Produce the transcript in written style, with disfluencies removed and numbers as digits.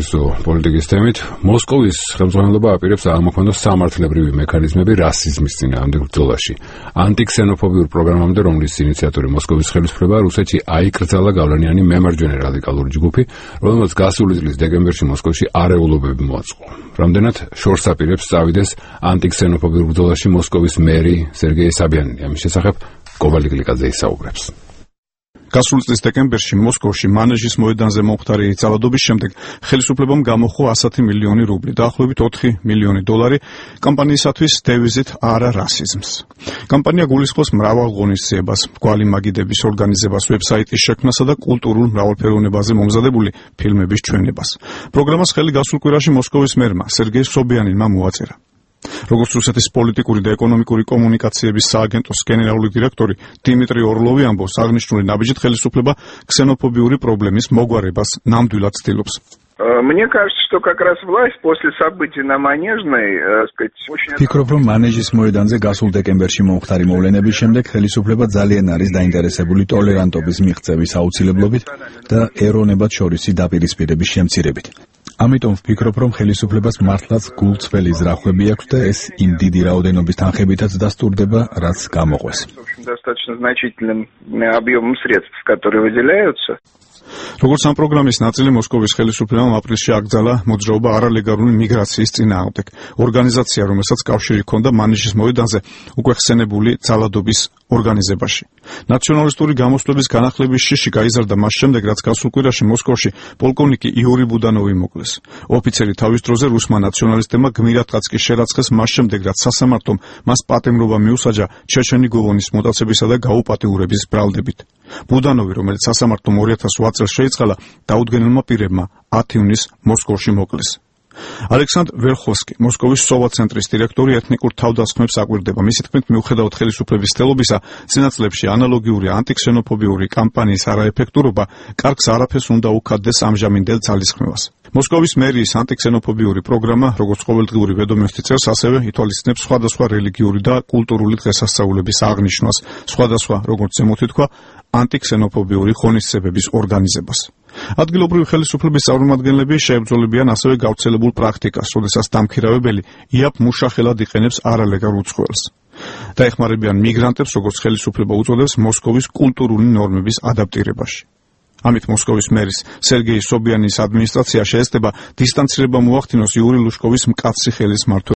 საუკეთესო პოლიტიკის თემით მოსკოვის ხელმძღვანელობა აპირებს აღმოქმნას სამართლებრივი მექანიზმები რასიზმის წინააღმდეგ ბრძოლაში. ანტიქსენოფობიურ პროგრამამდე, რომლის ინიციატორი მოსკოვის ხელისუფლება, რუსეთში აიკრძალა გავლენიანი მემარჯვენე რადიკალური ჯგუფი, რომელმაც გასული წლის დეკემბერში მოსკოვში არეულობები მოაწყო. რამდენად შორს აპირებს წავიდეს ანტიქსენოფობიურ ბრძოლაში მოსკოვის მერი სერგეი საბიანინი. ამის შესახებ კოვალი გლიკაძე ისაუბრებს. გასული წლის დეკემბერში მოსკოვში მანეჟის მოედანზე მომხდარი ძალადობის შემდეგ ხელისუფლებამ გამოხო 100 მილიონი რუბლი, დაახლოებით 4 მილიონი დოლარი კამპანიისათვის დევიზით არა რასიზმს. კამპანია გულისხმობს მრავალ ღონისძიებას, მრგვალი მაგიდების ორგანიზებას, ვებსაიტის შექმნასა და კულტურულ მრავალფეროვნებაზე მომზადებული ფილმების ჩვენებას. პროგრამას ხელი გასულ კვირაში მოსკოვის მერმა სერგეი სობიანინმა მოაწერა. როგორც რუსეთის პოლიტიკური და ეკონომიკური კომუნიკაციების სააგენტოს გენერალური დირექტორი დიმიტრი ორლოვი ამბობს, აღნიშნული ნაბიჯით ხელისუფლება ქსენოფობიური პრობლემის მოგვარებას ნამდვილად ცდილობს. Мне кажется, что как раз власть после событий на Манежной, очень... Ფიქრობ, რომ მანეჟის მოედანზე გასულ დეკემბერში მომხდარი მოვლენების შემდეგ ხელისუფლება ძალიან არის დაინტერესებული ტოლერანტობის მიღწევის აუცილებლობით და ეროვნებად შორისი დაპირისპირების შემცირებით. ამიტომ ვფიქრობ, რომ ხელისუფლებას მართლაც გულწრფელი ზრახვები აქვს და ეს იმ დიდი რაოდენობის თანხებითაც დასტურდება, რაც გამოყვეს. Достаточно значительным объемом средств, которые выделяются. როგორც ამ პროგრამის ნაწილი მოსკოვის ხელისუფლებამ აპრილში აკრძალა მოძრაობა არალეგალური მიგრაციის წინააღმდეგ. ორგანიზაცია, რომელსაც კავშირი ჰქონდა მანეჟის მოედანზე უკვე ხსენებული ძალადობის ორგანიზებაში. ნაციონალისტური გამოსვლების განახლების შიში გაიზარდა მას შემდეგ, რაც გასულ კვირაში მოსკოვში პოლკოვნიკი იური ბუდანოვი მოკლეს. ოფიცერი თავის დროზე რუსმა ნაციონალისტებმა გმირადღაც კი შერაცხეს მას შემდეგ, რაც სასამართლომ მას პატიმრობა მიუსაჯა ჩეჩენი გოვონის მოტაცებისა და გაუპატიურების ბრალდებით. ბუდანოვი, რომელიც სასამართლომ 2008 წელს შეიწყალა, დაუდგენელმა პირებმა 10 ივნისს მოსკოვში მოკლეს. ალექსანდრ ვერხოვსკი, მოსკოვის სოვა ცენტრის დირექტორი, ეთნიკურ თავდასხმებს აკვირდება. მისი თქმით, მიუხედავად ხელისუფლების ცდილობისა, წინაწლებში ანალოგიური ანტიქსენოფობიური კამპანიის არაეფექტურობა კარგს არაფერს უნდა უქადდეს ამჟამინდელ ძალისხმევას. მოსკოვის მერიის ანტიქსენოფობიური პროგრამა, როგორც ყოველდღიური ვედომოსტი წერს, ასევე ითვალისწინებს სხვადასხვა რელიგიური და კულტურული დღესასწაულების აღნიშვნას, სხვადასხვა, როგორც ზემოთი თქვა, ანტიქსენოფობიური ღონისძიებების ორგანიზებას. ადგილობრივი ხელისუფლების წარმომადგენლები შეებრძოლებიან ასევე გავრცელებულ პრაქტიკას, როდესაც დამქირავებელი იაპ მუშახელად იყენებს არალეგალურ უცხოელს. დაეხმარებიან მიგრანტებს, როგორც ხელისუფლება უწოდებს, მოსკოვის კულტურული ნორმების ადაპტირებაში. ამით მოსკოვის მერის სერგეი სობიანის ადმინისტრაცია შეეცდება დისტანცირება მოახდინოს იური ლუშკოვის მკაცრი ხელის მმართველ